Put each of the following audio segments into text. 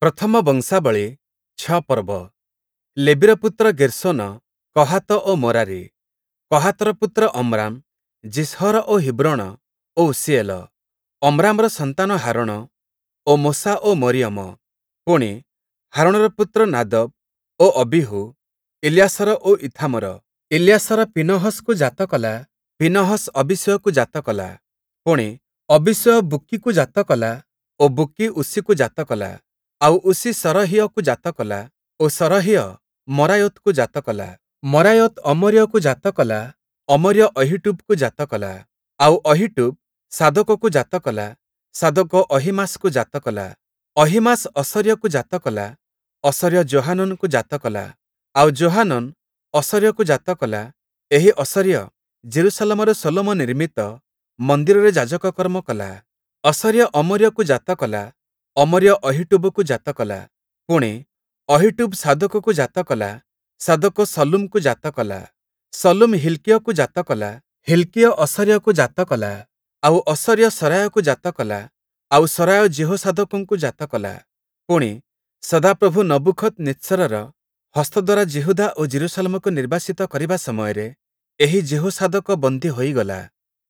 ପ୍ରଥମ ବଂଶାବଳୀ, ୬ ପର୍ବ। ଲେବୀର ପୁତ୍ର ଗେର୍ଶୋନ, କହାତ ଓ ମରାରି। କହାତର ପୁତ୍ର ଅମ୍ରାମ, ଯିଷ୍ହର ଓ ହିବ୍ରୋଣ ଓ ଉସୀୟେଲ। ଅମ୍ରାମର ସନ୍ତାନ ହାରୋଣ ଓ ମୋଶା ଓ ମରିୟମ। ପୁଣି, ହାରୋଣର ପୁତ୍ର ନାଦବ୍ ଓ ଅବୀହୂ, ଇଲିୟାସର ଓ ଈଥାମର। ଇଲିୟାସର ପୀନହସ୍‌କୁ ଜାତ କଲା, ପୀନହସ୍ ଅବୀଶୂୟକୁ ଜାତ କଲା। ପୁଣି, ଅବୀଶୂୟ ବୁକ୍କୀକୁ ଜାତ କଲା ଓ ବୁକ୍କୀ ଉସିକୁ ଜାତ କଲା। ଆଉ ଉସି ସରହୀୟକୁ ଜାତ କଲା ଓ ସରହୀୟ ମରାୟୋତକୁ ଜାତ କଲା। ମରାୟୋତ୍ ଅମରୀୟକୁ ଜାତ କଲା, ଅମରୀୟ ଅହୀଟୂବ୍‌କୁ ଜାତ କଲା। ଆଉ ଅହୀଟୂବ୍ ସାଦୋକକୁ ଜାତ କଲା, ସାଦୋକ ଅହୀମାସକୁ ଜାତ କଲା। ଅହୀମାସ ଅସରୀୟକୁ ଜାତ କଲା, ଅସରୀୟ ଯୋହାନନକୁ ଜାତ କଲା। ଆଉ ଯୋହାନନ ଅସରୀୟକୁ ଜାତ କଲା। ଏହି ଅସରୀୟ ଯିରୂଶାଲମରେ ଶଲୋମନ ନିର୍ମିତ ମନ୍ଦିରରେ ଯାଜକ କର୍ମ କଲା। ଅସରୀୟ ଅମରୀୟକୁ ଜାତ କଲା, ଅମରୀୟ ଅହୀଟୂବକୁ ଜାତ କଲା। ପୁଣି, ଅହୀଟୂବ୍ ସାଦୋକକୁ ଜାତ କଲା, ସାଦୋକ ଶଲୂମକୁ ଜାତ କଲା। ଶଲୂମ ହିଲ୍କିୟକୁ ଜାତ କଲା, ହିଲ୍କିୟ ଅସରୀୟକୁ ଜାତ କଲା। ଆଉ ଅସରୀୟ ସରାୟକୁ ଜାତ କଲା, ଆଉ ସରାୟ ଯିହୋସାଦୋକଙ୍କୁ ଜାତ କଲା। ପୁଣି, ସଦାପ୍ରଭୁ ନବୂଖଦନିତ୍ସରର ହସ୍ତ ଦ୍ୱାରା ଯିହୁଦା ଓ ଯିରୂଶାଲମକୁ ନିର୍ବାସିତ କରିବା ସମୟରେ ଏହି ଯିହୋସାଦକ ବନ୍ଦୀ ହୋଇଗଲା।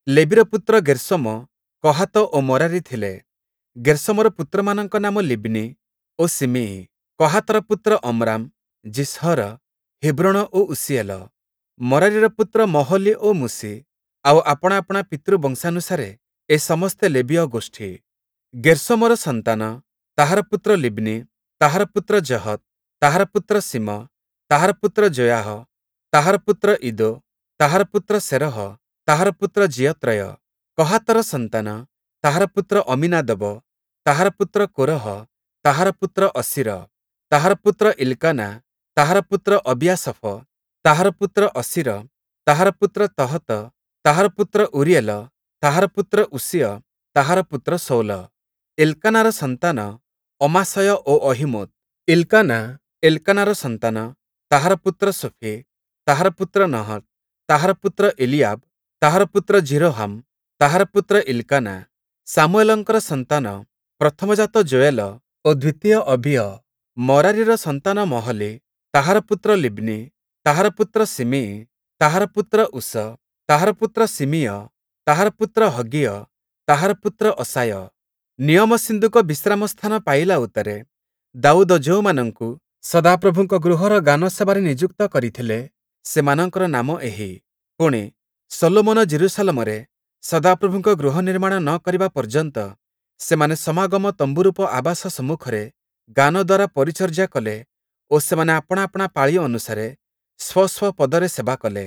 ଲେବୀର ପୁତ୍ର ଗେର୍ଶୋମ, କହାତ ଓ ମରାରି ଥିଲେ। ଗେର୍ଶୋମର ପୁତ୍ରମାନଙ୍କ ନାମ ଲିବ୍ନୀ ଓ ଶିମିୟି। କହାତର ପୁତ୍ର ଅମ୍ରାମ, ଯିଷ୍ହର, ହିବ୍ରୋଣ ଓ ଉସୀୟେଲ। ମରାରିର ପୁତ୍ର ମହଲି ଓ ମୂଶି। ଆଉ ଆପଣା ଆପଣା ପିତୃବଂଶାନୁସାରେ ଏ ସମସ୍ତେ ଲେବୀୟ ଗୋଷ୍ଠୀ। ଗେର୍ଶୋମର ସନ୍ତାନ, ତାହାର ପୁତ୍ର ଲିବ୍ନୀ, ତାହାର ପୁତ୍ର ଯହତ୍, ତାହାର ପୁତ୍ର ଶିମ, ତାହାର ପୁତ୍ର ଯୋୟାହ, ତାହାର ପୁତ୍ର ଇଦୋ, ତାହାର ପୁତ୍ର ସେରହ, ତାହାର ପୁତ୍ର ଯିୟତ୍ରୟ। କହାତର ସନ୍ତାନ, ତାହାର ପୁତ୍ର ଅମ୍ମୀନାଦବ, ତାହାର ପୁତ୍ର କୋରହ, ତାହାର ପୁତ୍ର ଅସୀର, ତାହାର ପୁତ୍ର ଇଲ୍‌କାନା, ତାହାର ପୁତ୍ର ଅବିୟାସଫ, ତାହାର ପୁତ୍ର ଅସୀର, ତାହାର ପୁତ୍ର ତହତ, ତାହାର ପୁତ୍ର ଉରୀଏଲ, ତାହାର ପୁତ୍ର ଉଷିୟ, ତାହାର ପୁତ୍ର ଶାଉଲ। ଏଲ୍‌କାନାର ସନ୍ତାନ ଅମାଶୟ ଓ ଅହୀମୋତ୍। ଇଲ୍‌କାନା, ଏଲ୍‌କାନାର ସନ୍ତାନ, ତାହାର ପୁତ୍ର ସୋଫି, ତାହାର ପୁତ୍ର ନହତ୍, ତାହାର ପୁତ୍ର ଏଲୀୟାବ, ତାହାର ପୁତ୍ର ଯିରୋହାମ, ତାହାର ପୁତ୍ର ଇଲ୍‌କାନା। ଶାମୁୟେଲଙ୍କର ସନ୍ତାନ, ପ୍ରଥମଜାତ ଯୋୟେଲ ଓ ଦ୍ୱିତୀୟ ଅବିୟ। ମରାରିର ସନ୍ତାନ ମହଲି, ତାହାର ପୁତ୍ର ଲିବ୍ନୀ, ତାହାର ପୁତ୍ର ଶିମିୟି, ତାହାର ପୁତ୍ର ଉସ, ତାହାର ପୁତ୍ର ଶିମିୟ, ତାହାର ପୁତ୍ର ହଗୀୟ, ତାହାର ପୁତ୍ର ଅଶାୟ। ନିୟମ ସିନ୍ଦୁକ ବିଶ୍ରାମ ସ୍ଥାନ ପାଇଲା ଉତ୍ତାରେ ଦାଉଦ ଯେଉଁମାନଙ୍କୁ ସଦାପ୍ରଭୁଙ୍କ ଗୃହର ଗାନ ସେବାରେ ନିଯୁକ୍ତ କରିଥିଲେ, ସେମାନଙ୍କର ନାମ ଏହି। ପୁଣି, ଶଲୋମନ ଯିରୂଶାଲମରେ ସଦାପ୍ରଭୁଙ୍କ ଗୃହ ନିର୍ମାଣ ନ କରିବା ପର୍ଯ୍ୟନ୍ତ ସେମାନେ ସମାଗମ-ତମ୍ବୁରୂପ ଆବାସ ସମ୍ମୁଖରେ ଗାନ ଦ୍ୱାରା ପରିଚର୍ଯ୍ୟା କଲେ ଓ ସେମାନେ ଆପଣା ଆପଣା ପାଳି ଅନୁସାରେ ସ୍ୱ ସ୍ୱ ପଦରେ ସେବା କଲେ।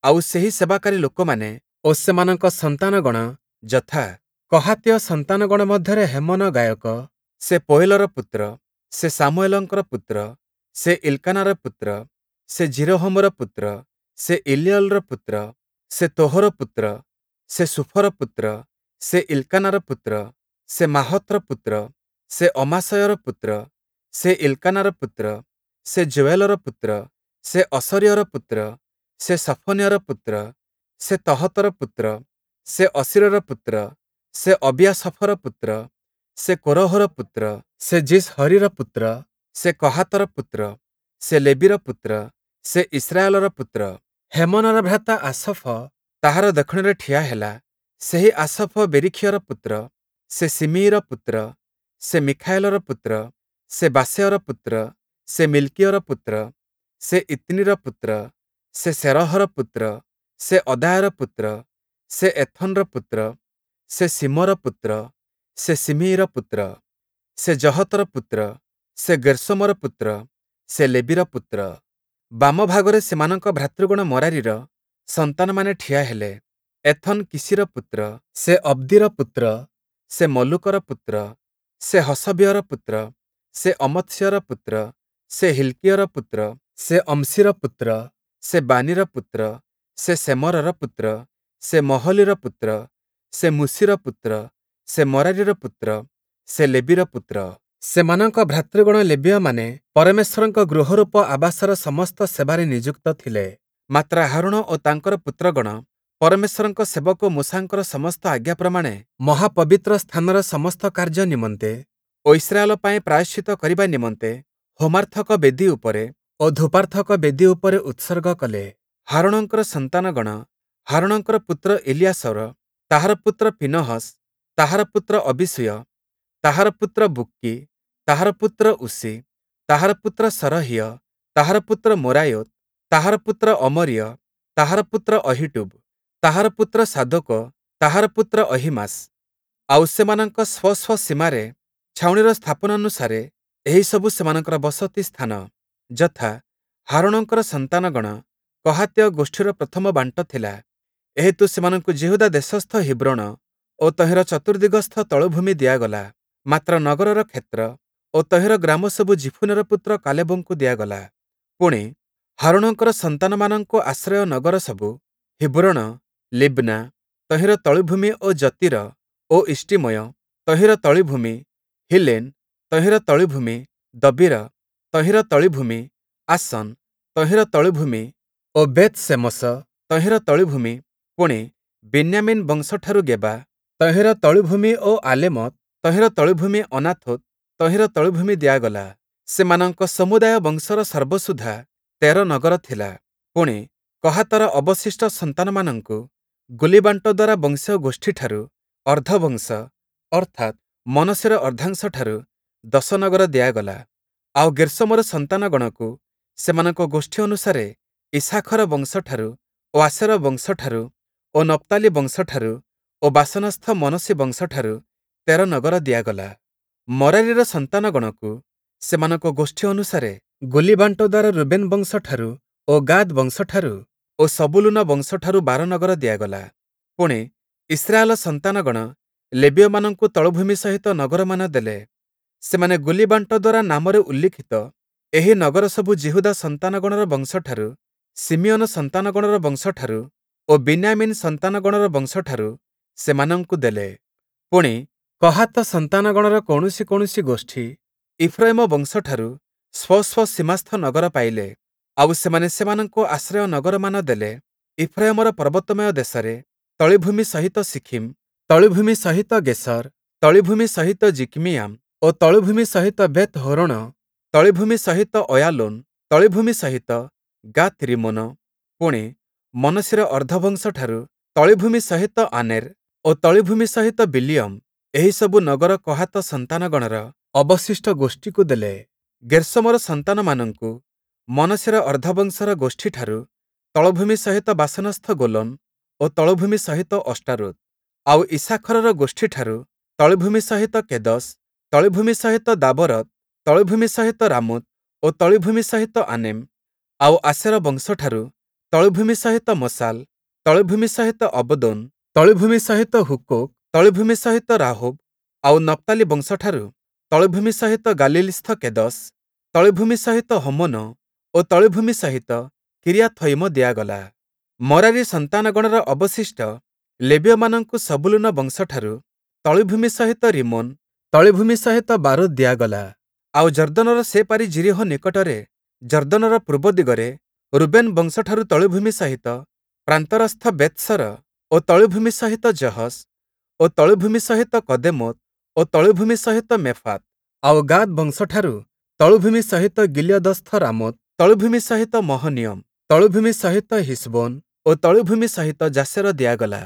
ଆଉ ସେହି ସେବାକାରୀ ଲୋକମାନେ ଓ ସେମାନଙ୍କ ସନ୍ତାନଗଣ ଯଥା, କହାତୀୟ ସନ୍ତାନଗଣ ମଧ୍ୟରେ ହେମନ ଗାୟକ, ସେ ପୋୟେଲର ପୁତ୍ର, ସେ ଶାମୁୟେଲଙ୍କର ପୁତ୍ର, ସେ ଇଲ୍‌କାନାର ପୁତ୍ର, ସେ ଯିରୋହମର ପୁତ୍ର, ସେ ଇଲୀୟଲର ପୁତ୍ର, ସେ ତୋହର ପୁତ୍ର, ସେ ସୂଫର ପୁତ୍ର, ସେ ଇଲ୍‌କାନାର ପୁତ୍ର, ସେ ମାହଥର ପୁତ୍ର, ସେ ଅମାଶୟର ପୁତ୍ର, ସେ ଇଲ୍‌କାନାର ପୁତ୍ର, ସେ ଯୋୟେଲର ପୁତ୍ର, ସେ ଅସରୀୟର ପୁତ୍ର, ସେ ସଫନିୟର ପୁତ୍ର, ସେ ତହତର ପୁତ୍ର, ସେ ଅସୀରର ପୁତ୍ର, ସେ ଅବିୟାସଫର ପୁତ୍ର, ସେ କୋରହର ପୁତ୍ର, ସେ ଯିଷ୍‌ହରିର ପୁତ୍ର, ସେ କହାତର ପୁତ୍ର, ସେ ଲେବୀର ପୁତ୍ର, ସେ ଇସ୍ରାଏଲର ପୁତ୍ର। ହେମନର ଭ୍ରାତା ଆସଫ ତାହାର ଦକ୍ଷିଣରେ ଠିଆ ହେଲା। ସେହି ଆସଫ ବେରିଖିୟର ପୁତ୍ର, ସେ ଶିମିୟିର ପୁତ୍ର, ସେ ମୀଖାଏଲର ପୁତ୍ର, ସେ ବାସେୟର ପୁତ୍ର, ସେ ମିଲ୍କିୟର ପୁତ୍ର, ସେ ଇତ୍ନୀର ପୁତ୍ର, ସେ ସେରହର ପୁତ୍ର, ସେ ଅଦାୟର ପୁତ୍ର, ସେ ଏଥନର ପୁତ୍ର, ସେ ଶିମର ପୁତ୍ର, ସେ ଶିମିୟିର ପୁତ୍ର, ସେ ଯହତର ପୁତ୍ର, ସେ ଗେର୍ଶୋମର ପୁତ୍ର, ସେ ଲେବୀର ପୁତ୍ର। ବାମ ଭାଗରେ ସେମାନଙ୍କ ଭ୍ରାତୃଗଣ ମରାରିର ସନ୍ତାନମାନେ ଠିଆ ହେଲେ। ଏଥନ୍ କୀଶୀର ପୁତ୍ର, ସେ ଅବ୍ଦୀର ପୁତ୍ର, ସେ ମଲ୍ଲୁକର ପୁତ୍ର, ସେ ହଶବୀୟର ପୁତ୍ର, ସେ ଅମତ୍ସ୍ୟର ପୁତ୍ର, ସେ ହିଲ୍କିୟର ପୁତ୍ର, ସେ ଅମ୍ସିର ପୁତ୍ର, ସେ ବାନୀର ପୁତ୍ର, ସେ ଶେମରର ପୁତ୍ର, ସେ ମହଲିର ପୁତ୍ର, ସେ ମୂଶୀର ପୁତ୍ର, ସେ ମରାରିର ପୁତ୍ର, ସେ ଲେବୀର ପୁତ୍ର। ସେମାନଙ୍କ ଭ୍ରାତୃଗଣ ଲେବୀୟମାନେ ପରମେଶ୍ୱରଙ୍କ ଗୃହରୂପ ଆବାସର ସମସ୍ତ ସେବାରେ ନିଯୁକ୍ତ ଥିଲେ। ମାତ୍ର ହାରୋଣ ଓ ତାଙ୍କର ପୁତ୍ରଗଣ ପରମେଶ୍ୱରଙ୍କ ସେବକ ମୋଶାଙ୍କର ସମସ୍ତ ଆଜ୍ଞା ପ୍ରମାଣେ ମହାପବିତ୍ର ସ୍ଥାନର ସମସ୍ତ କାର୍ଯ୍ୟ ନିମନ୍ତେ ଓ ଓ ଇସ୍ରାଏଲ ପାଇଁ ପ୍ରାୟଶ୍ଚିତ୍ତ କରିବା ନିମନ୍ତେ ହୋମାର୍ଥକ ବେଦି ଉପରେ ଓ ଧୂପାର୍ଥକ ବେଦି ଉପରେ ଉତ୍ସର୍ଗ କଲେ। ହାରୋଣଙ୍କର ସନ୍ତାନଗଣ: ହାରୋଣଙ୍କର ପୁତ୍ର ଇଲିୟାସର, ତାହାର ପୁତ୍ର ପୀନହସ୍, ତାହାର ପୁତ୍ର ଅବୀଶୂୟ, ତାହାର ପୁତ୍ର ବୁକ୍କି, ତାହାର ପୁତ୍ର ଉସ୍ସୀ, ତାହାର ପୁତ୍ର ସରହୀୟ, ତାହାର ପୁତ୍ର ମେରାୟୋତ୍, ତାହାର ପୁତ୍ର ଅମରୀୟ, ତାହାର ପୁତ୍ର ଅହୀଟୂବ୍, ତାହାର ପୁତ୍ର ସାଦୋକ, ତାହାର ପୁତ୍ର ଅହୀମାସ୍। ଆଉ ସେମାନଙ୍କ ସ୍ୱ ସ୍ୱ ସୀମାରେ ଛାଉଣିର ସ୍ଥାପନାନୁସାରେ ଏହିସବୁ ସେମାନଙ୍କର ବସତି ସ୍ଥାନ। ଯଥା, ହାରୋଣଙ୍କର ସନ୍ତାନଗଣ କହାତୀୟ ଗୋଷ୍ଠୀର ପ୍ରଥମ ବାଣ୍ଟ ଥିଲା, ଏହେତୁ ସେମାନଙ୍କୁ ଯିହୁଦା ଦେଶସ୍ଥ ହିବ୍ରୋଣ ଓ ତହିଁର ଚତୁର୍ଦ୍ଦିଗସ୍ଥ ତଳୁଭୂମି ଦିଆଗଲା। ମାତ୍ର ନଗରର କ୍ଷେତ୍ର ଓ ତହିଁର ଗ୍ରାମସବୁ ଯିଫୁନ୍ନେର ପୁତ୍ର କାଲେବଙ୍କୁ ଦିଆଗଲା। ପୁଣି, ହାରୋଣଙ୍କର ସନ୍ତାନମାନଙ୍କୁ ଆଶ୍ରୟ ନଗରସବୁ, ହିବ୍ରୋଣ, ଲିବ୍ନା, ତହିଁର ତଳୁଭୂମି ଓ ଯତ୍ତୀର ଓ ଇଷ୍ଟୀମୋୟ, ତହିଁର ତଳୁଭୂମି, ହିଲେନ୍, ତହିଁର ତଳୁଭୂମି, ଦବୀର, ତହିଁର ତଳୁଭୂମି, ଆଶନ୍, ତହିଁର ତଳୁଭୂମି ଓ ବେଥ୍ ଶେମଶ, ତହିଁର ତଳୁଭୂମି। ପୁଣି, ବିନ୍ୟାମୀନ୍ ବଂଶଠାରୁ ଗେବା, ତହିଁର ତଳୁଭୂମି ଓ ଆଲେମତ୍, ତହିଁର ତଳୁଭୂମି, ଅନାଥୋତ୍, ତହିଁର ତଳୁଭୂମି ଦିଆଗଲା। ସେମାନଙ୍କ ସମୁଦାୟ ବଂଶର ସର୍ବସୁଦ୍ଧା ୧୩ ନଗର ଥିଲା। ପୁଣି, କହାତର ଅବଶିଷ୍ଟ ସନ୍ତାନମାନଙ୍କୁ ଗୁଲିବାଣ୍ଟ ଦ୍ୱାରା ବଂଶୀୟ ଗୋଷ୍ଠୀଠାରୁ ଅର୍ଦ୍ଧବଂଶ, ଅର୍ଥାତ୍, ମନଶ୍ଶେର ଅର୍ଦ୍ଧାଂଶଠାରୁ ୧୦ ନଗର ଦିଆଗଲା। ଆଉ ଗେର୍ଶୋମର ସନ୍ତାନଗଣକୁ ସେମାନଙ୍କ ଗୋଷ୍ଠୀ ଅନୁସାରେ ଇସ୍ସାଖର ବଂଶଠାରୁ ଓ ଆଶେର ବଂଶଠାରୁ ଓ ନପ୍ତାଲି ବଂଶଠାରୁ ଓ ବାଶନସ୍ଥ ମନଶ୍ଶେ ବଂଶଠାରୁ ୧୩ ନଗର ଦିଆଗଲା। ମରାରିର ସନ୍ତାନଗଣକୁ ସେମାନଙ୍କ ଗୋଷ୍ଠୀ ଅନୁସାରେ ଗୁଲିବାଣ୍ଟ ଦ୍ୱାରା ରୁବେନ୍ ବଂଶଠାରୁ ଓ ଗାଦ୍ ବଂଶଠାରୁ ଓ ସବୂଲୂନ ବଂଶଠାରୁ ୧୨ ନଗର ଦିଆଗଲା। ପୁଣି, ଇସ୍ରାଏଲ ସନ୍ତାନଗଣ ଲେବୀୟମାନଙ୍କୁ ତଳୁଭୂମି ସହିତ ନଗରମାନ ଦେଲେ। ସେମାନେ ଗୁଲିବାଣ୍ଟ ଦ୍ୱାରା ନାମରେ ଉଲ୍ଲିଖିତ ଏହି ନଗରସବୁ ଯିହୁଦା ସନ୍ତାନଗଣର ବଂଶଠାରୁ, ଶିମିୟନ ସନ୍ତାନଗଣର ବଂଶଠାରୁ ଓ ବିନ୍ୟାମୀନ୍ ସନ୍ତାନଗଣର ବଂଶଠାରୁ ସେମାନଙ୍କୁ ଦେଲେ। ପୁଣି, କହାତ ସନ୍ତାନଗଣର କୌଣସି କୌଣସି ଗୋଷ୍ଠୀ ଇଫ୍ରୟିମ ବଂଶଠାରୁ ସ୍ୱ ସ୍ୱ ସୀମାସ୍ଥ ନଗର ପାଇଲେ। ଆଉ ସେମାନେ ସେମାନଙ୍କୁ ଆଶ୍ରୟ ନଗରମାନ ଦେଲେ, ଇଫ୍ରୟିମର ପର୍ବତମୟ ଦେଶରେ ତଳିଭୂମି ସହିତ ଶିଖିମ୍, ତଳିଭୂମି ସହିତ ଗେସର୍, ତଳିଭୂମି ସହିତ ଯିକ୍‌ମିୟାମ୍ ଓ ତଳୁଭୂମି ସହିତ ବେଥ୍ ହୋରୋଣ, ତଳିଭୂମି ସହିତ ଅୟାଲୋନ୍, ତଳିଭୂମି ସହିତ ଗାତ୍ ରିମ୍ମୋନ। ପୁଣି, ମନଶ୍ଶେର ଅର୍ଦ୍ଧବଂଶଠାରୁ ତଳିଭୂମି ସହିତ ଆନେର୍ ଓ ତଳିଭୂମି ସହିତ ବିଲିୟମ୍, ଏହିସବୁ ନଗର କହାତ ସନ୍ତାନଗଣର ଅବଶିଷ୍ଟ ଗୋଷ୍ଠୀକୁ ଦେଲେ। ଗେର୍ଶୋମର ସନ୍ତାନମାନଙ୍କୁ ମନଶ୍ଶେର ଅର୍ଦ୍ଧବଂଶର ଗୋଷ୍ଠୀଠାରୁ ତଳଭୂମି ସହିତ ବାଶନସ୍ଥ ଗୋଲନ୍ ଓ ତଳୁଭୂମି ସହିତ ଅଷ୍ଟାରୋତ୍। ଆଉ ଇସ୍ସାଖରର ଗୋଷ୍ଠୀଠାରୁ ତଳୁଭୂମି ସହିତ କେଦଶ୍, ତଳୁଭୂମି ସହିତ ଦାବରତ୍, ତଳୁଭୂମି ସହିତ ରାମୋତ୍ ଓ ତଳୁଭୂମି ସହିତ ଆନେମ୍। ଆଉ ଆଶେର ବଂଶଠାରୁ ତଳୁଭୂମି ସହିତ ମଶାଲ୍, ତଳୁଭୂମି ସହିତ ଅବଦୋନ୍, ତଳୁଭୂମି ସହିତ ହୁକ୍କୋକ୍, ତଳୁଭୂମି ସହିତ ରାହୋବ୍। ଆଉ ନପ୍ତାଲି ବଂଶଠାରୁ ତଳୁଭୂମି ସହିତ ଗାଲିଲୀସ୍ଥ କେଦଶ୍, ତଳୁଭୂମି ସହିତ ହମ୍ମୋନ ଓ ତଳୁଭୂମି ସହିତ କିରିୟାଥୟିମ ଦିଆଗଲା। ମରାରି ସନ୍ତାନଗଣର ଅବଶିଷ୍ଟ ଲେବୀୟମାନଙ୍କୁ ସବୂଲୂନ ବଂଶଠାରୁ ତଳୁଭୂମି ସହିତ ରିମ୍ମୋନ୍, ତଳୁଭୂମି ସହିତ ବାରୋତ୍ ଦିଆଗଲା। ଆଉ ଯର୍ଦ୍ଦନର ସେପାରି ଯିରୀହୋ ନିକଟରେ ଯର୍ଦ୍ଦନର ପୂର୍ବ ଦିଗରେ ରୁବେନ୍ ବଂଶଠାରୁ ତଳୁଭୂମି ସହିତ ପ୍ରାନ୍ତରସ୍ଥ ବେତ୍ସର ଓ ତଳୁଭୂମି ସହିତ ଯହସ୍ ଓ ତଳୁଭୂମି ସହିତ କଦେମୋତ୍ ଓ ତଳୁଭୂମି ସହିତ ମେଫାତ୍। ଆଉ ଗାଦ୍ ବଂଶଠାରୁ ତଳୁଭୂମି ସହିତ ଗିଲିୟଦସ୍ଥ ରାମୋତ୍, ତଳୁଭୂମି ସହିତ ମହନୀୟମ୍, ତଳୁଭୂମି ସହିତ ହିଷ୍ବୋନ୍ ଓ ତଳୁଭୂମି ସହିତ ଯାସେର ଦିଆଗଲା।